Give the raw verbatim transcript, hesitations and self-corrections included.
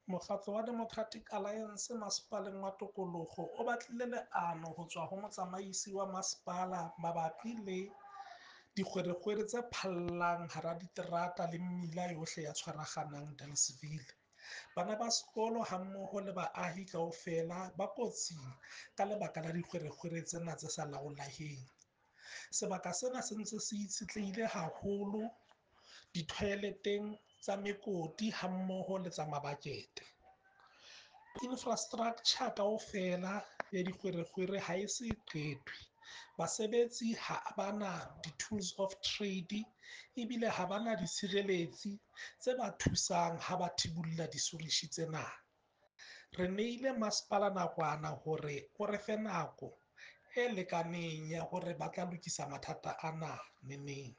Mokgatlo wa Democratic Alliance Masepaleng wa Tokoloho o batlile leano ho tswa ho motsamaisi wa masepala mabapi le dikgwerekgwere tse phallang hara diterata le mmila yohle ya Tshwaraganang Dealesville. Bana ba sekolo hammoho le baahi kaofela ba kotsing ka lebaka la dikgwerekgwere tsena tse sa laoleheng. Sebaka sena se ntse se itshetlehile haholo di-toilet-eng tsa mekoti hammoho le tsa mabakete. Infrastructure kaofela ya dikgwerekgwere ha e se qetwe. Basebetsi ha ba na di-tools of trade ebile ha ba na ditshireletsi tse ba thusang ha ba thibulla disorishi tsena. Re neile masepala nakwana hore o re fe nako e lekaneng ya hore ba tla lokisa mathata ana neneng.